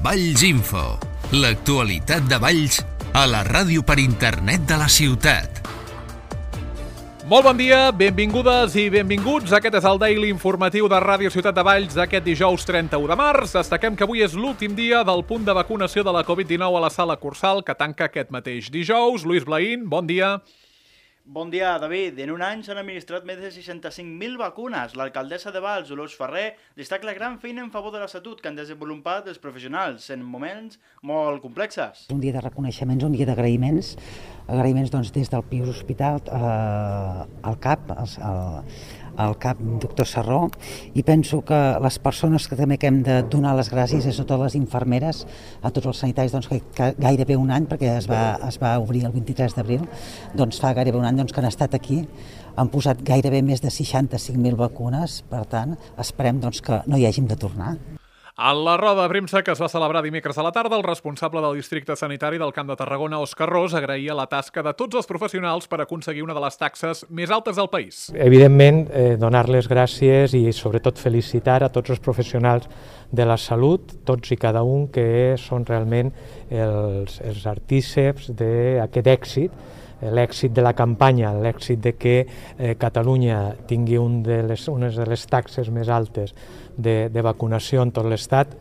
Valls Info, l'actualitat de Valls a la ràdio per internet de la ciutat. Molt bon dia, benvingudes i benvinguts. Aquest és el Daily Informatiu de Ràdio Ciutat de Valls d'aquest dijous 31 de març. Destaquem que avui és l'últim dia del punt de vacunació de la Covid-19 a la Sala Cursal, que tanca aquest mateix dijous. Lluís Blaín, bon dia. Bon dia, David. En un any s'han administrat més de 65.000 vacunes. L'alcaldessa de Valls, Dolors Ferrer, destaca la gran feina en favor de la salut que han desenvolupat els professionals en moments molt complexes. Un dia de reconeixements, un dia d'agraïments. Agraïments doncs, des del Pius Hospital al CAP, al CAP doctor Sarró, i penso que les persones que també hem de donar les gràcies és a totes les infermeres, a tots els sanitaris, doncs, que gairebé un any, perquè es va obrir el 23 d'abril, doncs fa gairebé un any doncs, que han estat aquí, han posat gairebé més de 65.000 vacunes, per tant, esperem doncs, que no hi hàgim de tornar. A la roda de premsa que es va celebrar dimecres a la tarda, el responsable del districte sanitari del Camp de Tarragona, Òscar Ros, agraïa la tasca de tots els professionals per aconseguir una de les taxes més altes del país. Evidentment, donar les gràcies i sobretot felicitar a tots els professionals de la salut, tots i cada un, que són realment els artíceps d'aquest èxit, l'èxit de la campanya, l'èxit de que Catalunya tingui unes de les taxes més altes de vacunació en tot l'Estat.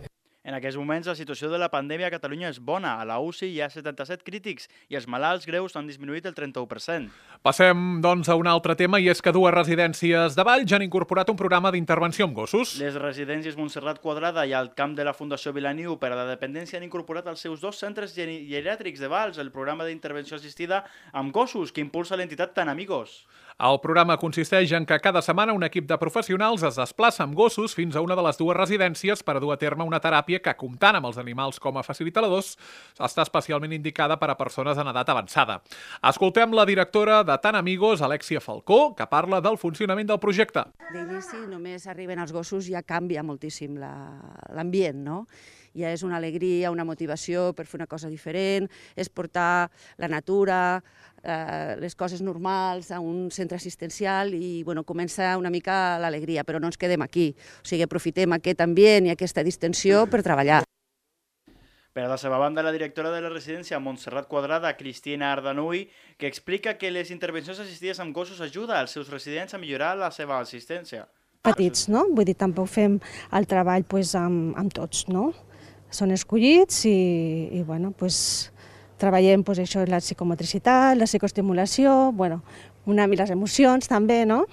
En aquests moments, la situació de la pandèmia a Catalunya és bona. A la UCI hi ha 77 crítics i els malalts greus han disminuït el 31%. Passem, doncs, a un altre tema, i és que dues residències de Valls han incorporat un programa d'intervenció amb gossos. Les residències Montserrat Quadrada i el camp de la Fundació Vilaniu per a la dependència han incorporat als seus dos centres geriàtrics de Valls el programa d'intervenció assistida amb gossos que impulsa l'entitat Tan Amigos. El programa consisteix en que cada setmana un equip de professionals es desplaça amb gossos fins a una de les dues residències per a dur a terme una teràpia que, comptant amb els animals com a facilitadors, està especialment indicada per a persones en edat avançada. Escoltem la directora de Tan Amigos, Alexia Falcó, que parla del funcionament del projecte. D'inici, només arriben els gossos, ja canvia moltíssim l'ambient, no? Ja és una alegria, una motivació per fer una cosa diferent, és portar la natura, les coses normals a un centre assistencial i comença una mica l'alegria, però no ens quedem aquí. O sigui, aprofitem aquest ambient i aquesta distensió per treballar. Per a la seva banda, la directora de la residència Montserrat Quadrada, Cristina Ardanuy, que explica que les intervencions assistides amb gossos ajuda als seus residents a millorar la seva assistència. Petits, no? Vull dir, tampoc fem el treball amb tots, no? Són escollits i treballem això, la psicomotricitat, la psicoestimulació, les emocions també, no?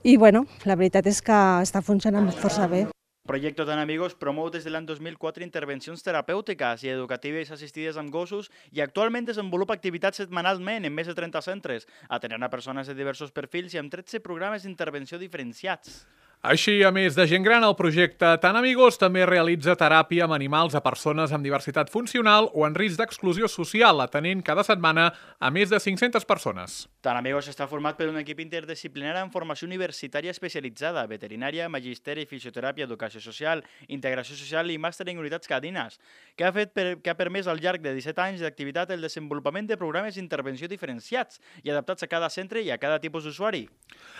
I la veritat és que està funcionant força bé. El projecte Tan Amigos promou des de l'any 2004 intervencions terapèutiques i educatives assistides amb gossos i actualment desenvolupa activitats setmanalment en més de 30 centres, atenent a persones de diversos perfils i amb 13 programes d'intervenció diferenciats. Així, a més de gent gran, el projecte Tan Amigos també realitza teràpia amb animals a persones amb diversitat funcional o en risc d'exclusió social, atenent cada setmana a més de 500 persones. Tan Amigos està format per un equip interdisciplinari amb formació universitària especialitzada, veterinària, magisteri, fisioteràpia, educació social, integració social i màster en unitats canines, que ha permès al llarg de 17 anys d'activitat el desenvolupament de programes d'intervenció diferenciats i adaptats a cada centre i a cada tipus d'usuari.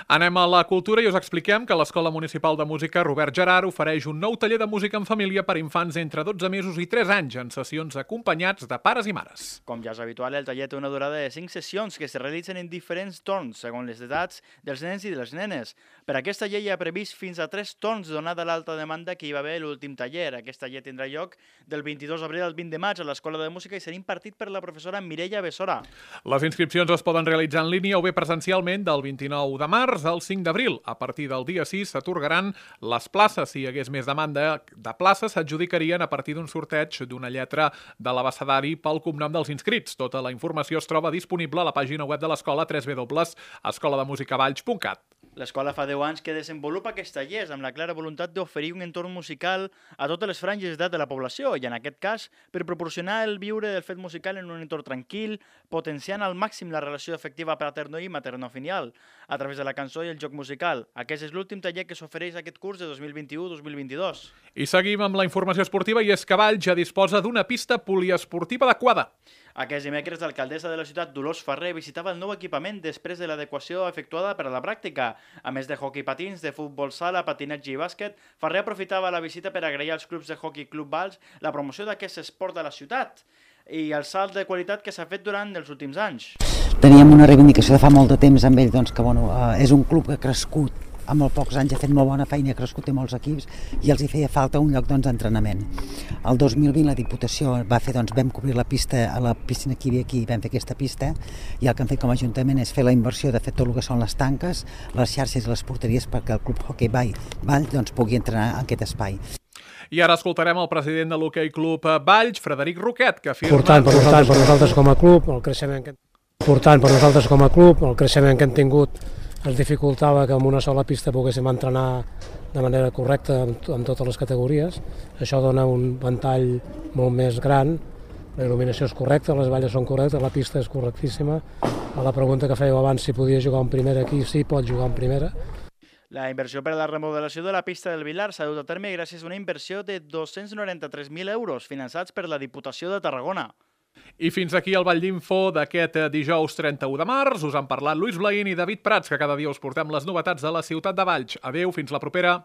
Anem a la cultura i us expliquem que l'Escola Municipal de Música Robert Gerard ofereix un nou taller de música en família per infants entre 12 mesos i 3 anys en sessions acompanyats de pares i mares. Com ja és habitual, el taller té una durada de 5 sessions que es realitzen en diferents torns segons les edats dels nens i de les nenes. Per aquest taller hi ha previst fins a 3 torns donada l'alta demanda que hi va haver l'últim taller. Aquest taller tindrà lloc del 22 d'abril al 20 de maig a l'Escola de Música i serà impartit per la professora Mireia Bessora. Les inscripcions es poden realitzar en línia o bé presencialment del 29 de març al 5 d'abril. A partir del dia 6 s'atorgaran les places. Si hi hagués més demanda de places, s'adjudicarien a partir d'un sorteig d'una lletra de l'abecedari pel cognom dels inscrits. Tota la informació es troba disponible a la pàgina web de l'escola www.escolademusicavalls.cat. L'escola fa 10 anys que desenvolupa aquests tallers amb la clara voluntat d'oferir un entorn musical a totes les franges d'edat de la població i, en aquest cas, per proporcionar el viure del fet musical en un entorn tranquil, potenciant al màxim la relació afectiva paterno i maternofilial a través de la cançó i el joc musical. Aquest és l'últim taller que s'ofereix aquest curs de 2021-2022. I seguim amb la informació esportiva i és que Valls ja disposa d'una pista poliesportiva adequada. Aquest dimecres, l'alcaldessa de la ciutat, Dolors Ferrer, visitava el nou equipament després de l'adequació efectuada per a la pràctica. A més de hoquei patins, de futbol sala, patinatge i bàsquet, Ferrer aprofitava la visita per agrair als clubs de hoquei Club Valls la promoció d'aquest esport de la ciutat i el salt de qualitat que s'ha fet durant els últims anys. Teníem una reivindicació de fa molt de temps amb ell, doncs, que és un club que ha crescut a molt pocs anys, ha fet molt bona feina, ha crescut en molts equips i els hi feia falta un lloc d'entrenament. El 2020 la Diputació va fer, vam cobrir la pista a la piscina que hi havia aquí, vam fer aquesta pista i el que hem fet com a Ajuntament és fer la inversió de fer tot el que són les tanques, les xarxes i les porteries perquè el Club Hoquei Valls pugui entrenar en aquest espai. I ara escoltarem el president de l'Hoquei Club Valls, Frederic Roquet, que afirma... Important per nosaltres com a club, el creixement que hem tingut ens dificultava que amb una sola pista poguéssim entrenar de manera correcta en totes les categories. Això dona un ventall molt més gran, la il·luminació és correcta, les valles són correctes, la pista és correctíssima. A la pregunta que fèieu abans, si podia jugar en primera aquí, sí, pot jugar en primera. La inversió per a la remodelació de la pista del Vilar s'ha dut a terme gràcies a una inversió de 293.000 euros finançats per la Diputació de Tarragona. I fins aquí el Ball d'Info d'aquest dijous 31 de març. Us han parlat Lluís Blaín i David Prats, que cada dia us portem les novetats de la ciutat de Valls. Adéu, fins la propera.